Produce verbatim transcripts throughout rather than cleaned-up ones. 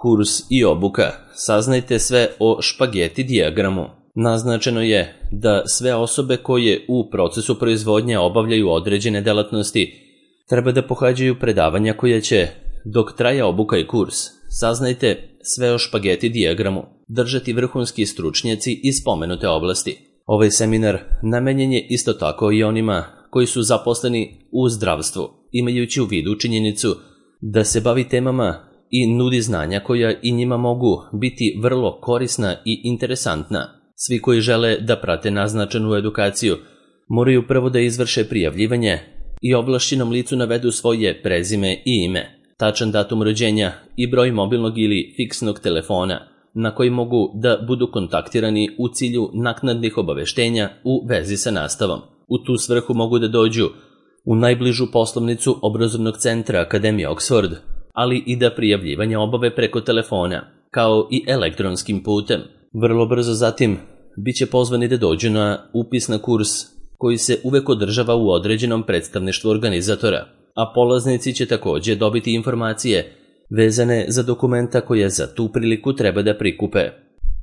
Kurs i obuka. Saznajte sve o špageti dijagramu. Naznačeno je da sve osobe koje u procesu proizvodnje obavljaju određene delatnosti treba da pohađaju predavanja koje će, dok traje obuka i kurs, saznajte sve o špageti dijagramu, držati vrhunski stručnjaci iz spomenute oblasti. Ovaj seminar namenjen je isto tako i onima koji su zaposleni u zdravstvu, imajući u vidu činjenicu da se bavi temama i nudi znanja koja i njima mogu biti vrlo korisna i interesantna. Svi koji žele da prate naznačenu edukaciju moraju prvo da izvrše prijavljivanje i ovlašćenom licu navedu svoje prezime i ime, tačan datum rođenja i broj mobilnog ili fiksnog telefona na koji mogu da budu kontaktirani u cilju naknadnih obaveštenja u vezi sa nastavom. U tu svrhu mogu da dođu u najbližu poslovnicu obrazovnog centra Akademije Oxford, ali i da prijavljivanje obave preko telefona, kao i elektronskim putem. Vrlo brzo zatim biće pozvani da dođu na upis na kurs koji se uvek održava u određenom predstavništvu organizatora, a polaznici će takođe dobiti informacije vezane za dokumenta koje za tu priliku treba da prikupe.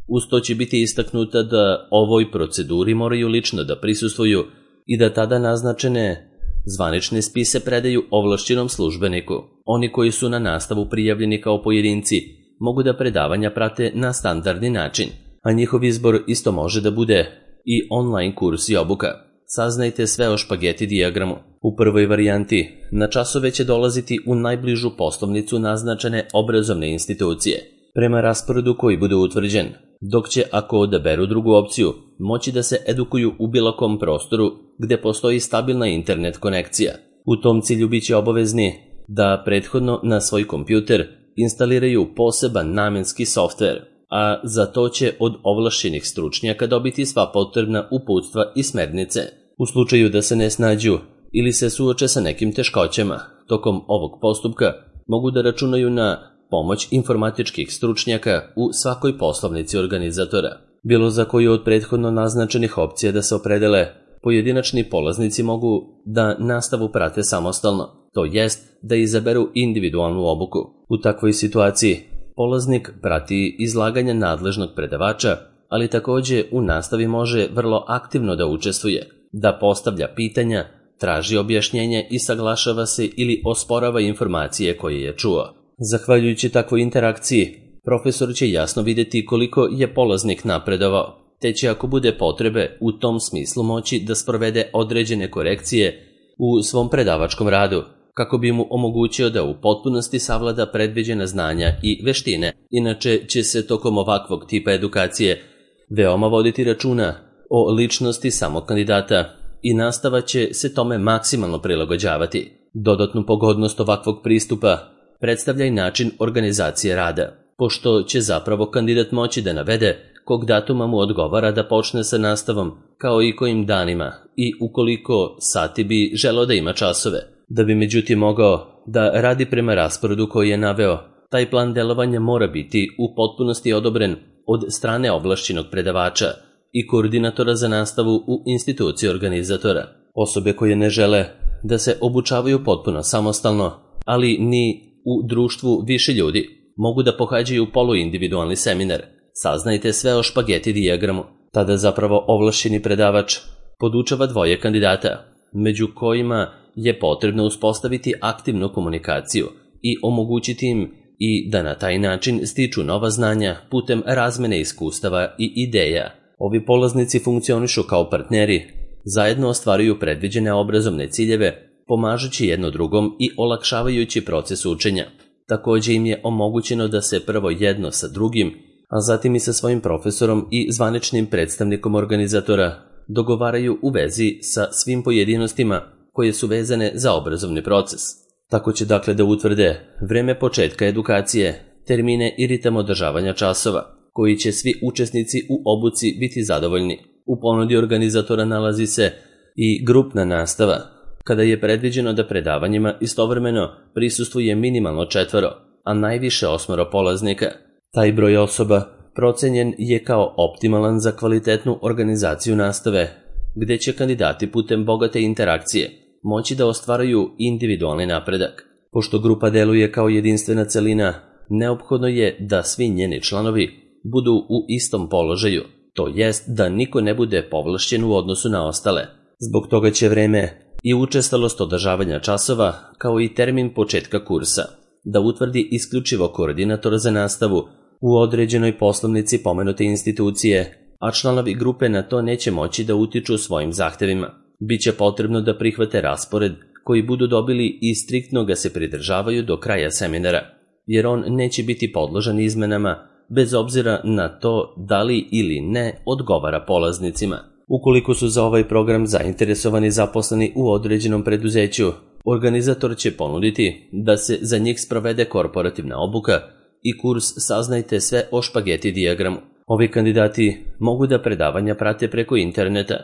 Uz to će biti istaknuta da ovoj proceduri moraju lično da prisustvuju i da tada naznačene zvanične spise predaju ovlašćenom službeniku. Oni koji su na nastavu prijavljeni kao pojedinci mogu da predavanja prate na standardni način, a njihov izbor isto može da bude i online kurs i obuka. Saznajte sve o špageti dijagramu. U prvoj varijanti na časove će dolaziti u najbližu poslovnicu naznačene obrazovne institucije, prema rasporedu koji bude utvrđen, dok će, ako odaberu drugu opciju, moći da se edukuju u bilo kom prostoru gde postoji stabilna internet konekcija. U tom cilju biće obavezni da prethodno na svoj kompjuter instaliraju poseban namenski softver, a za to će od ovlašćenih stručnjaka dobiti sva potrebna uputstva i smernice. U slučaju da se ne snađu ili se suoče sa nekim teškoćama tokom ovog postupka, mogu da računaju na pomoć informatičkih stručnjaka u svakoj poslovnici organizatora. Bilo za koju od prethodno naznačenih opcija da se opredele, pojedinačni polaznici mogu da nastavu prate samostalno, to jest da izaberu individualnu obuku. U takvoj situaciji polaznik prati izlaganja nadležnog predavača, ali takođe u nastavi može vrlo aktivno da učestvuje, da postavlja pitanja, traži objašnjenje i saglašava se ili osporava informacije koje je čuo. Zahvaljujući takvoj interakciji, profesor će jasno videti koliko je polaznik napredovao, te će, ako bude potrebe, u tom smislu moći da sprovede određene korekcije u svom predavačkom radu, kako bi mu omogućio da u potpunosti savlada predviđena znanja i veštine. Inače će se tokom ovakvog tipa edukacije veoma voditi računa o ličnosti samog kandidata i nastava će se tome maksimalno prilagođavati. Dodatnu pogodnost ovakvog pristupa predstavlja i način organizacije rada, pošto će zapravo kandidat moći da navede kog datuma mu odgovara da počne sa nastavom, kao i kojim danima i ukoliko sati bi želeo da ima časove. Da bi međutim mogao da radi prema rasporedu koji je naveo, taj plan delovanja mora biti u potpunosti odobren od strane ovlašćenog predavača i koordinatora za nastavu u instituciji organizatora. Osobe koje ne žele da se obučavaju potpuno samostalno, ali ni u društvu više ljudi, mogu da pohađaju poluindividualni seminar. Saznajte sve o špageti dijagramu. Tada zapravo ovlašćeni predavač podučava dvoje kandidata, među kojima je potrebno uspostaviti aktivnu komunikaciju i omogućiti im i da na taj način stiču nova znanja putem razmene iskustava i ideja. Ovi polaznici funkcionišu kao partneri, zajedno ostvaruju predviđene obrazovne ciljeve, pomažući jedno drugom i olakšavajući proces učenja. Takođe im je omogućeno da se prvo jedno sa drugim, a zatim i sa svojim profesorom i zvaničnim predstavnikom organizatora dogovaraju u vezi sa svim pojedinostima koje su vezane za obrazovni proces. Tako će dakle da utvrde vreme početka edukacije, termine i ritam održavanja časova, koji će svi učesnici u obuci biti zadovoljni. U ponudi organizatora nalazi se i grupna nastava, kada je predviđeno da predavanjima istovremeno prisustvuje minimalno četvoro, a najviše osmoro polaznika. Taj broj osoba procenjen je kao optimalan za kvalitetnu organizaciju nastave, gde će kandidati putem bogate interakcije moći da ostvaraju individualni napredak. Pošto grupa deluje kao jedinstvena celina, neophodno je da svi njeni članovi budu u istom položaju, to jest da niko ne bude povlašćen u odnosu na ostale. Zbog toga će vreme i učestalost održavanja časova, kao i termin početka kursa, da utvrdi isključivo koordinator za nastavu u određenoj poslovnici pomenute institucije, a članovi grupe na to neće moći da utiču svojim zahtevima. Biće potrebno da prihvate raspored koji budu dobili i striktno ga se pridržavaju do kraja seminara, jer on neće biti podložan izmenama bez obzira na to da li ili ne odgovara polaznicima. Ukoliko su za ovaj program zainteresovani zaposleni u određenom preduzeću, organizator će ponuditi da se za njih sprovede korporativna obuka i kurs Saznajte sve o špageti dijagramu. Ovi kandidati mogu da predavanja prate preko interneta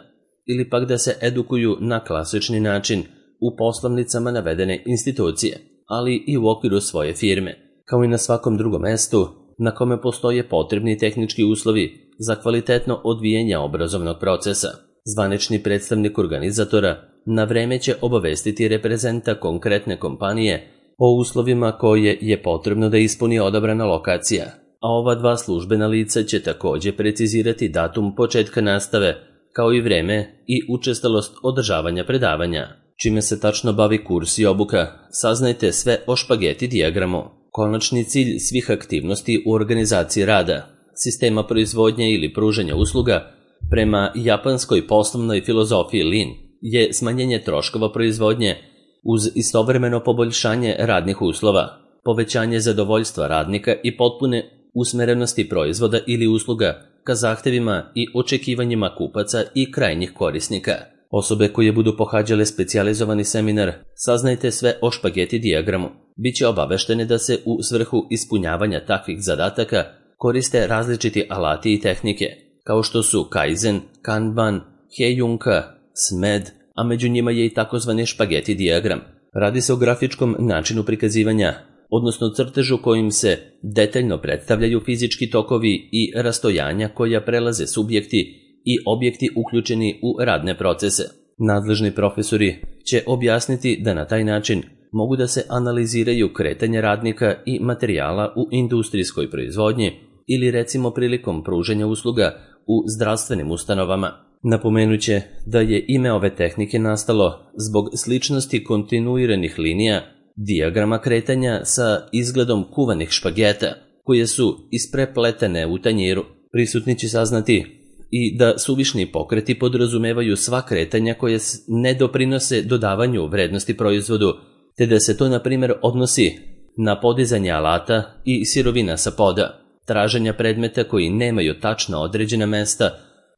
ili pak da se edukuju na klasični način u poslovnicama navedene institucije, ali i u okviru svoje firme, kao i na svakom drugom mestu na kome postoje potrebni tehnički uslovi za kvalitetno odvijanje obrazovnog procesa. Zvanični predstavnik organizatora na vreme će obavestiti reprezenta konkretne kompanije o uslovima koje je potrebno da ispuni odabrana lokacija, a ova dva službena lica će takođe precizirati datum početka nastave, kao i vreme i učestalost održavanja predavanja. Čime se tačno bavi kurs i obuka, saznajte sve o špageti dijagramu. Konačni cilj svih aktivnosti u organizaciji rada, sistema proizvodnje ili pružanja usluga, prema japanskoj poslovnoj filozofiji Lean, je smanjenje troškova proizvodnje uz istovremeno poboljšanje radnih uslova, povećanje zadovoljstva radnika i potpune usmerenosti proizvoda ili usluga ka zahtevima i očekivanjima kupaca i krajnjih korisnika. Osobe koje budu pohađale specijalizovani seminar Saznajte sve o špageti dijagramu biće obaveštene da se u svrhu ispunjavanja takvih zadataka koriste različiti alati i tehnike, kao što su Kaizen, Kanban, Heijunka, Smed, a među njima je i takozvani špageti dijagram. Radi se o grafičkom načinu prikazivanja, odnosno crtežu kojim se detaljno predstavljaju fizički tokovi i rastojanja koja prelaze subjekti i objekti uključeni u radne procese. Nadležni profesori će objasniti da na taj način mogu da se analiziraju kretanje radnika i materijala u industrijskoj proizvodnji ili recimo prilikom pružanja usluga u zdravstvenim ustanovama. Napomenuće da je ime ove tehnike nastalo zbog sličnosti kontinuiranih linija dijagrama kretanja sa izgledom kuvanih špageta, koje su isprepletene u tanjiru. Prisutni će saznati i da suvišni pokreti podrazumevaju sva kretanja koje ne doprinose dodavanju vrednosti proizvodu, te da se to na primjer odnosi na podizanje alata i sirovina sa poda, traženja predmeta koji nemaju tačno određena mesta,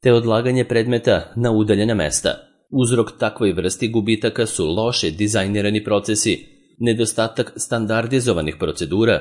te odlaganje predmeta na udaljena mesta. Uzrok takvoj vrsti gubitaka su loše dizajnirani procesi, nedostatak standardizovanih procedura,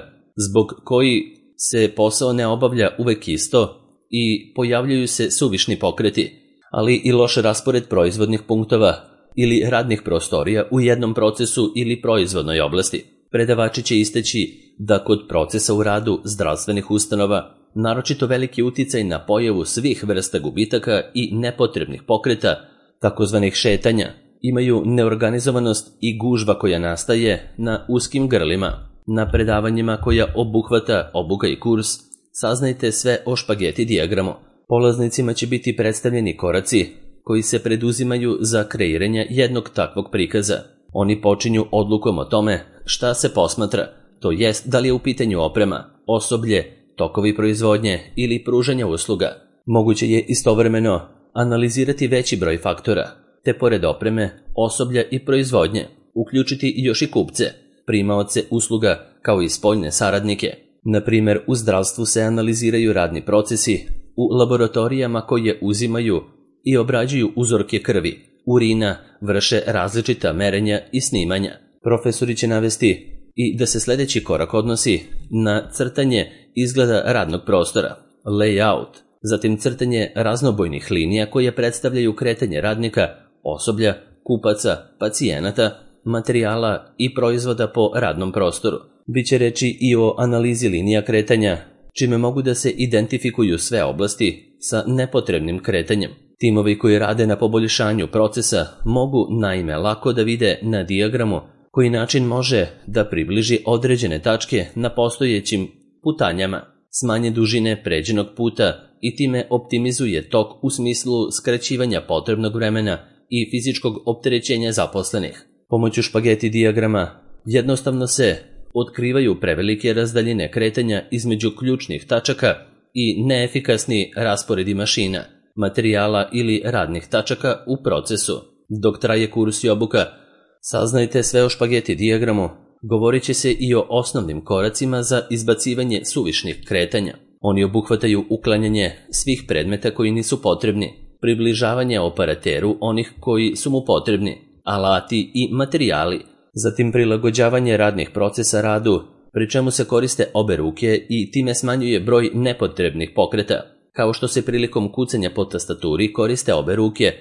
zbog koji se posao ne obavlja uvek isto i pojavljuju se suvišni pokreti, ali i loš raspored proizvodnih punktova ili radnih prostorija u jednom procesu ili proizvodnoj oblasti. Predavači će istaći da kod procesa u radu zdravstvenih ustanova naročito veliki uticaj na pojavu svih vrsta gubitaka i nepotrebnih pokreta, takozvanih šetanja, imaju neorganizovanost i gužva koja nastaje na uskim grlima. Na predavanjima koja obuhvata obuka i kurs Saznajte sve o špageti dijagramu. Polaznicima će biti predstavljeni koraci koji se preduzimaju za kreiranje jednog takvog prikaza. Oni počinju odlukom o tome šta se posmatra, to jest da li je u pitanju oprema, osoblje, tokovi proizvodnje ili pružanja usluga. Moguće je istovremeno analizirati veći broj faktora, te pored opreme, osoblja i proizvodnje, uključiti još i kupce, primaoce usluga kao i spoljne saradnike. Na primjer, u zdravstvu se analiziraju radni procesi u laboratorijama koje uzimaju i obrađuju uzorke krvi, urina, vrše različita merenja i snimanja. Profesori će navesti i da se sljedeći korak odnosi na crtanje izgleda radnog prostora, layout, zatim crtanje raznobojnih linija koje predstavljaju kretanje radnika, osoblja, kupaca, pacijenata, materijala i proizvoda po radnom prostoru. Biće reći i o analizi linija kretanja, čime mogu da se identifikuju sve oblasti sa nepotrebnim kretanjem. Timovi koji rade na poboljšanju procesa mogu naime lako da vide na dijagramu koji način može da približi određene tačke na postojećim putanjama, smanje dužine pređenog puta i time optimizuje tok u smislu skraćivanja potrebnog vremena i fizičkog opterećenja zaposlenih. Pomoću špageti dijagrama jednostavno se otkrivaju prevelike razdaljine kretanja između ključnih tačaka i neefikasni rasporedi mašina, materijala ili radnih tačaka u procesu. Dok traje kurs i obuka, saznajte sve o špageti dijagramu, govorit će se i o osnovnim koracima za izbacivanje suvišnih kretanja. Oni obuhvataju uklanjanje svih predmeta koji nisu potrebni, približavanje operateru onih koji su mu potrebni, alati i materijali, zatim prilagođavanje radnih procesa radu, pri čemu se koriste obe ruke i time smanjuje broj nepotrebnih pokreta, kao što se prilikom kucanja po tastaturi koriste obe ruke,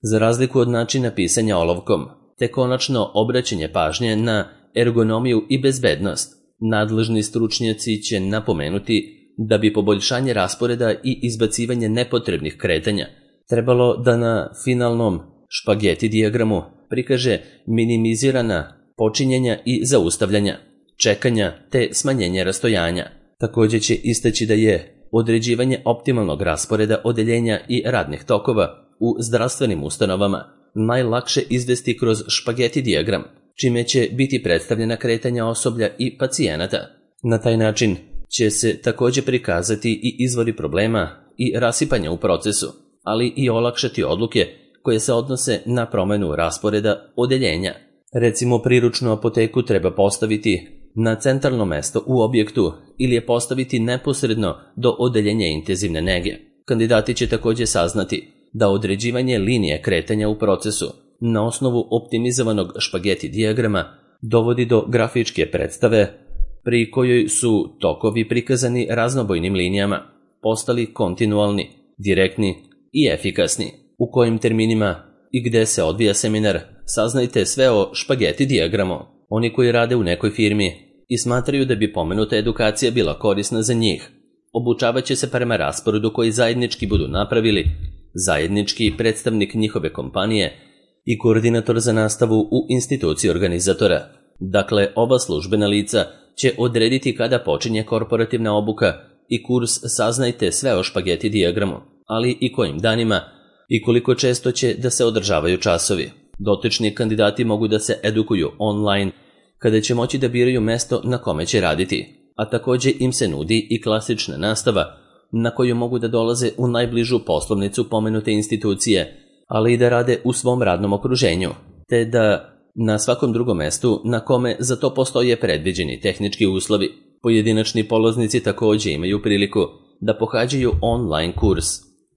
za razliku od načina pisanja olovkom, te konačno obraćanje pažnje na ergonomiju i bezbednost. Nadležni stručnjaci će napomenuti da bi poboljšanje rasporeda i izbacivanje nepotrebnih kretanja trebalo da na finalnom špageti dijagramu prikaže minimizirana počinjenja i zaustavljanja, čekanja te smanjenje rastojanja. Također će istaći da je određivanje optimalnog rasporeda odeljenja i radnih tokova u zdravstvenim ustanovama najlakše izvesti kroz špageti dijagram, čime će biti predstavljena kretanja osoblja i pacijenata. Na taj način će se također prikazati i izvori problema i rasipanja u procesu, ali i olakšati odluke koje se odnose na promjenu rasporeda odeljenja. Recimo, priručnu apoteku treba postaviti na centralno mesto u objektu ili je postaviti neposredno do odeljenja intenzivne nege. Kandidati će također saznati da određivanje linije kretanja u procesu na osnovu optimizovanog špageti dijagrama dovodi do grafičke predstave pri kojoj su tokovi prikazani raznobojnim linijama, postali kontinualni, direktni i efikasni. U kojim terminima i gde se odvija seminar, saznajte sve o špageti dijagramu. Oni koji rade u nekoj firmi i smatraju da bi pomenuta edukacija bila korisna za njih, obučavat će se prema rasporedu koji zajednički budu napravili, zajednički predstavnik njihove kompanije i koordinator za nastavu u instituciji organizatora. Dakle, ova službena lica će odrediti kada počinje korporativna obuka i kurs saznajte sve o špageti dijagramu, ali i kojim danima i koliko često će da se održavaju časovi. Dotični kandidati mogu da se edukuju online, kada će moći da biraju mesto na kome će raditi, a također im se nudi i klasična nastava na koju mogu da dolaze u najbližu poslovnicu pomenute institucije, ali i da rade u svom radnom okruženju, te da na svakom drugom mestu na kome za to postoje predviđeni tehnički uslovi. Pojedinačni polaznici također imaju priliku da pohađaju online kurs,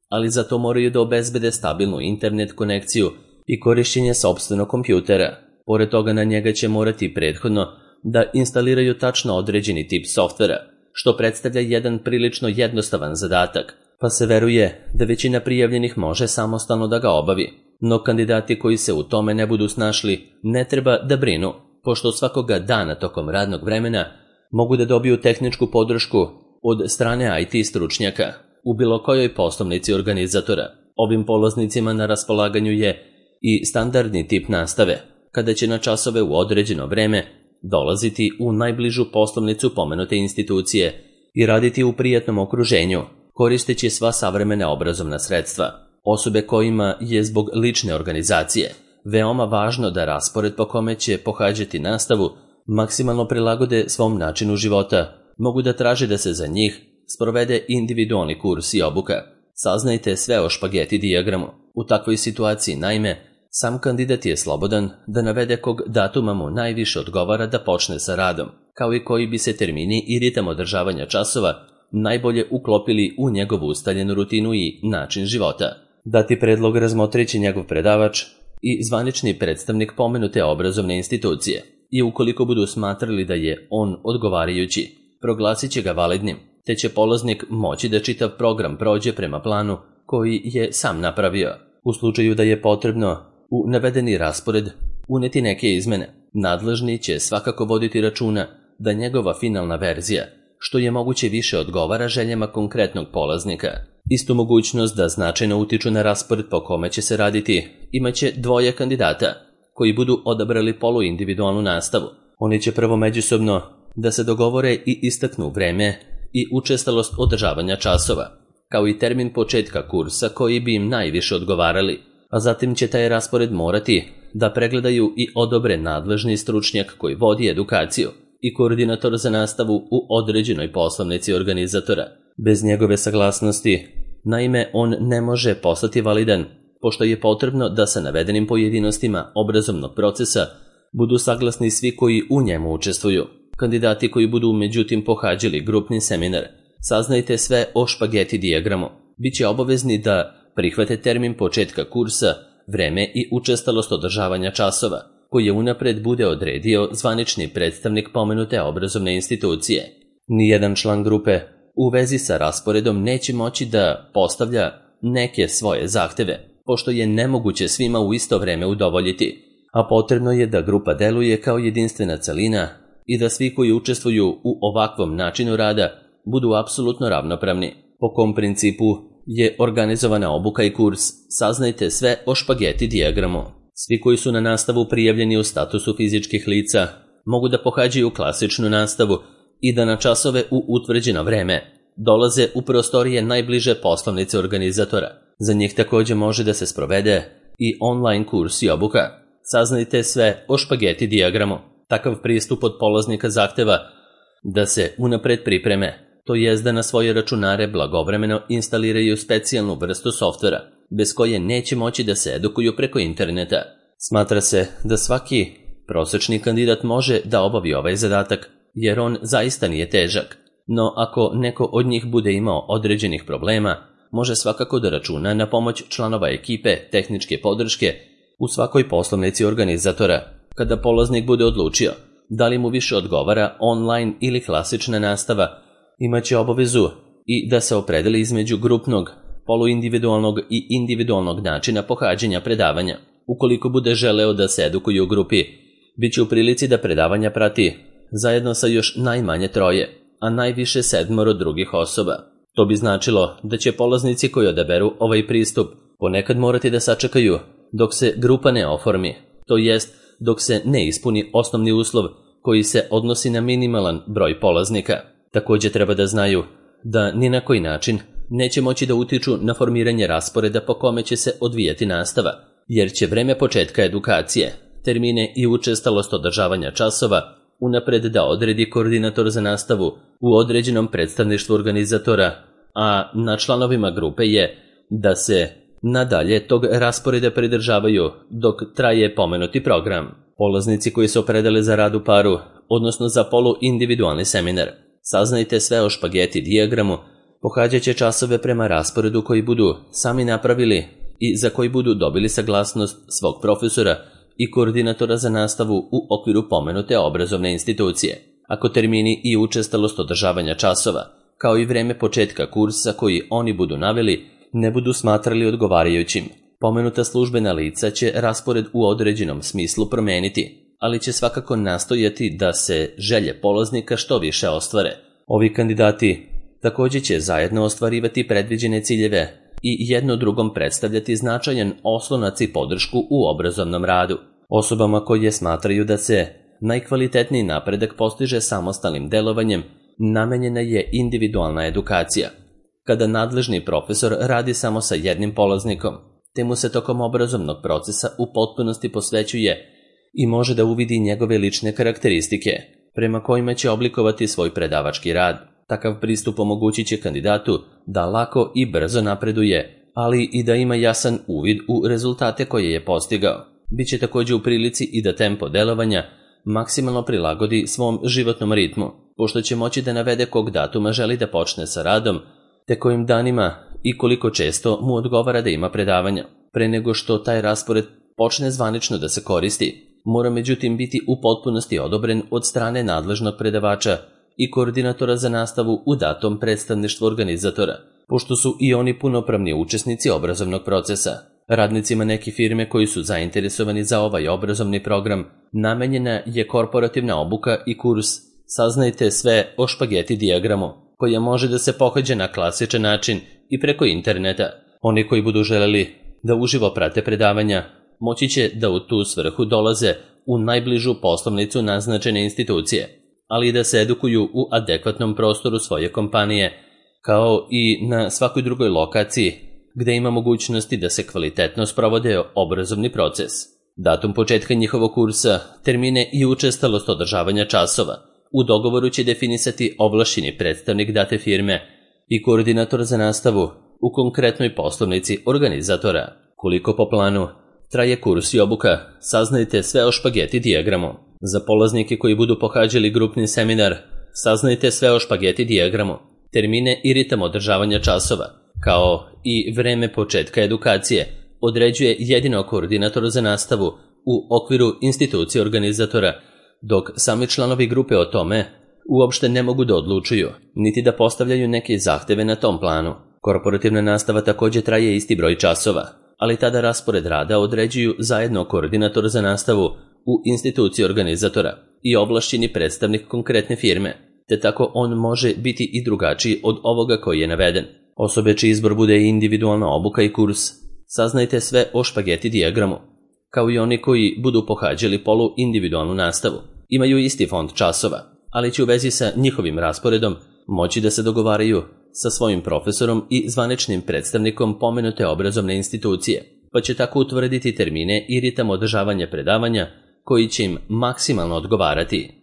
ali za to moraju da obezbede stabilnu internet konekciju i korišćenje sopstvenog kompjutera. Pored toga na njega će morati prethodno da instaliraju tačno određeni tip softvera, što predstavlja jedan prilično jednostavan zadatak, pa se veruje da većina prijavljenih može samostalno da ga obavi. No kandidati koji se u tome ne budu snašli ne treba da brinu, pošto svakoga dana tokom radnog vremena mogu da dobiju tehničku podršku od strane I T stručnjaka u bilo kojoj poslovnici organizatora. Ovim polaznicima na raspolaganju je i standardni tip nastave, kada će na časove u određeno vreme dolaziti u najbližu poslovnicu pomenute institucije i raditi u prijatnom okruženju, koristeći sva savremena obrazovna sredstva. Osobe kojima je zbog lične organizacije veoma važno da raspored po kome će pohađati nastavu maksimalno prilagode svom načinu života, mogu da traže da se za njih sprovede individualni kurs i obuka. Saznajte sve o špageti dijagramu. U takvoj situaciji, naime, sam kandidat je slobodan da navede kog datuma mu najviše odgovara da počne sa radom, kao i koji bi se termini i ritam održavanja časova najbolje uklopili u njegovu ustaljenu rutinu i način života. Dati predlog razmotrit će njegov predavač i zvanični predstavnik pomenute obrazovne institucije i ukoliko budu smatrali da je on odgovarajući, proglasit će ga validnim, te će polaznik moći da čitav program prođe prema planu koji je sam napravio. U slučaju da je potrebno u navedeni raspored uneti neke izmene, nadležni će svakako voditi računa da njegova finalna verzija što je moguće više odgovara željama konkretnog polaznika. Istu mogućnost da značajno utiču na raspored po kome će se raditi imaće dvoje kandidata. koji budu odabrali poluindividualnu nastavu. Oni će prvo međusobno da se dogovore i istaknu vreme i učestalost održavanja časova, kao i termin početka kursa koji bi im najviše odgovarali, a zatim će taj raspored morati da pregledaju i odobre nadležni stručnjak koji vodi edukaciju i koordinator za nastavu u određenoj poslovnici organizatora. Bez njegove saglasnosti, naime, on ne može postati validan, pošto je potrebno da sa navedenim pojedinostima obrazovnog procesa budu saglasni svi koji u njemu učestvuju. Kandidati koji budu međutim pohađali grupni seminar, saznajte sve o špageti dijagramu. Biće obavezni da prihvate termin početka kursa, vreme i učestalost održavanja časova, koji je unapred bude odredio zvanični predstavnik pomenute obrazovne institucije. Nijedan član grupe u vezi sa rasporedom neće moći da postavlja neke svoje zahteve, pošto je nemoguće svima u isto vreme udovoljiti, a potrebno je da grupa deluje kao jedinstvena celina i da svi koji učestvuju u ovakvom načinu rada budu apsolutno ravnopravni. Po kom principu je organizovana obuka i kurs, saznajte sve o špageti dijagramu. Svi koji su na nastavu prijavljeni u statusu fizičkih lica mogu da pohađaju klasičnu nastavu i da na časove u utvrđeno vreme dolaze u prostorije najbliže poslovnice organizatora. Za njih također može da se sprovede i online kurs i obuka. Saznajte sve o špageti dijagramu. Takav pristup od polaznika zahteva da se unapred pripreme, to jest da na svoje računare blagovremeno instaliraju specijalnu vrstu softvera, bez koje neće moći da se edukuju preko interneta. Smatra se da svaki prosečni kandidat može da obavi ovaj zadatak, jer on zaista nije težak. No ako neko od njih bude imao određenih problema, može svakako da računa na pomoć članova ekipe tehničke podrške u svakoj poslovnici organizatora. Kada polaznik bude odlučio da li mu više odgovara online ili klasična nastava, imaće obavezu i da se opredeli između grupnog, poluindividualnog i individualnog načina pohađanja predavanja. Ukoliko bude želeo da se edukuje u grupi, bit će u prilici da predavanja prati zajedno sa još najmanje troje, a najviše sedmoro drugih osoba. To bi značilo da će polaznici koji odaberu ovaj pristup ponekad morati da sačekaju dok se grupa ne oformi, to jest dok se ne ispuni osnovni uslov koji se odnosi na minimalan broj polaznika. Također treba da znaju da ni na koji način neće moći da utiču na formiranje rasporeda po kome će se odvijati nastava, jer će vreme početka edukacije, termine i učestalost održavanja časova unapred da odredi koordinator za nastavu u određenom predstavništvu organizatora, a na članovima grupe je da se nadalje tog rasporeda pridržavaju dok traje pomenuti program. Polaznici koji se opredele za rad u paru, odnosno za poluindividualni seminar, saznajte sve o špageti dijagramu, pohađat će časove prema rasporedu koji budu sami napravili i za koji budu dobili saglasnost svog profesora i koordinatora za nastavu u okviru pomenute obrazovne institucije. Ako termini i učestalost održavanja časova, kao i vreme početka kursa koji oni budu naveli, ne budu smatrali odgovarajućim, pomenuta službena lica će raspored u određenom smislu promeniti, ali će svakako nastojati da se želje polaznika što više ostvare. Ovi kandidati također će zajedno ostvarivati predviđene ciljeve i jedno drugom predstavljati značajan oslonac i podršku u obrazovnom radu. Osobama koje smatraju da se najkvalitetniji napredak postiže samostalnim delovanjem, namenjena je individualna edukacija. Kada nadležni profesor radi samo sa jednim polaznikom, te mu se tokom obrazovnog procesa u potpunosti posvećuje i može da uvidi njegove lične karakteristike, prema kojima će oblikovati svoj predavački rad. Takav pristup omogućit će kandidatu da lako i brzo napreduje, ali i da ima jasan uvid u rezultate koje je postigao. Biće također u prilici i da tempo delovanja maksimalno prilagodi svom životnom ritmu, pošto će moći da navede kog datuma želi da počne sa radom, te kojim danima i koliko često mu odgovara da ima predavanja. Pre nego što taj raspored počne zvanično da se koristi, mora međutim biti u potpunosti odobren od strane nadležnog predavača i koordinatora za nastavu u datom predstavništvu organizatora, pošto su i oni punopravni učesnici obrazovnog procesa. Radnicima neke firme koji su zainteresovani za ovaj obrazovni program namenjena je korporativna obuka i kurs Saznajte sve o špageti dijagramu, koja može da se pohađa na klasičan način i preko interneta. Oni koji budu želeli da uživo prate predavanja moći će da u tu svrhu dolaze u najbližu poslovnicu naznačene institucije, ali i da se edukuju u adekvatnom prostoru svoje kompanije, kao i na svakoj drugoj lokaciji gde ima mogućnosti da se kvalitetno sprovode obrazovni proces. Datum početka njihovog kursa, termine i učestalost održavanja časova u dogovoru će definisati ovlašćeni predstavnik date firme i koordinator za nastavu u konkretnoj poslovnici organizatora. Koliko po planu traje kurs i obuka, saznajte sve o špageti dijagramu. Za polaznike koji budu pohađali grupni seminar, saznajte sve o špageti dijagramu, termine i ritam održavanja časova, kao i vreme početka edukacije određuje jedino koordinator za nastavu u okviru institucije organizatora, dok sami članovi grupe o tome uopšte ne mogu da odlučuju, niti da postavljaju neke zahteve na tom planu. Korporativna nastava takođe traje isti broj časova, ali tada raspored rada određuju zajedno koordinator za nastavu u instituciji organizatora i ovlašćeni predstavnik konkretne firme, te tako on može biti i drugačiji od ovoga koji je naveden. Osobe čiji izbor bude individualna obuka i kurs, saznajte sve o špageti dijagramu, kao i oni koji budu pohađali polu individualnu nastavu. Imaju isti fond časova, ali će u vezi sa njihovim rasporedom moći da se dogovaraju sa svojim profesorom i zvaničnim predstavnikom pomenute obrazovne institucije, pa će tako utvrditi termine i ritam održavanja predavanja koji će im maksimalno odgovarati.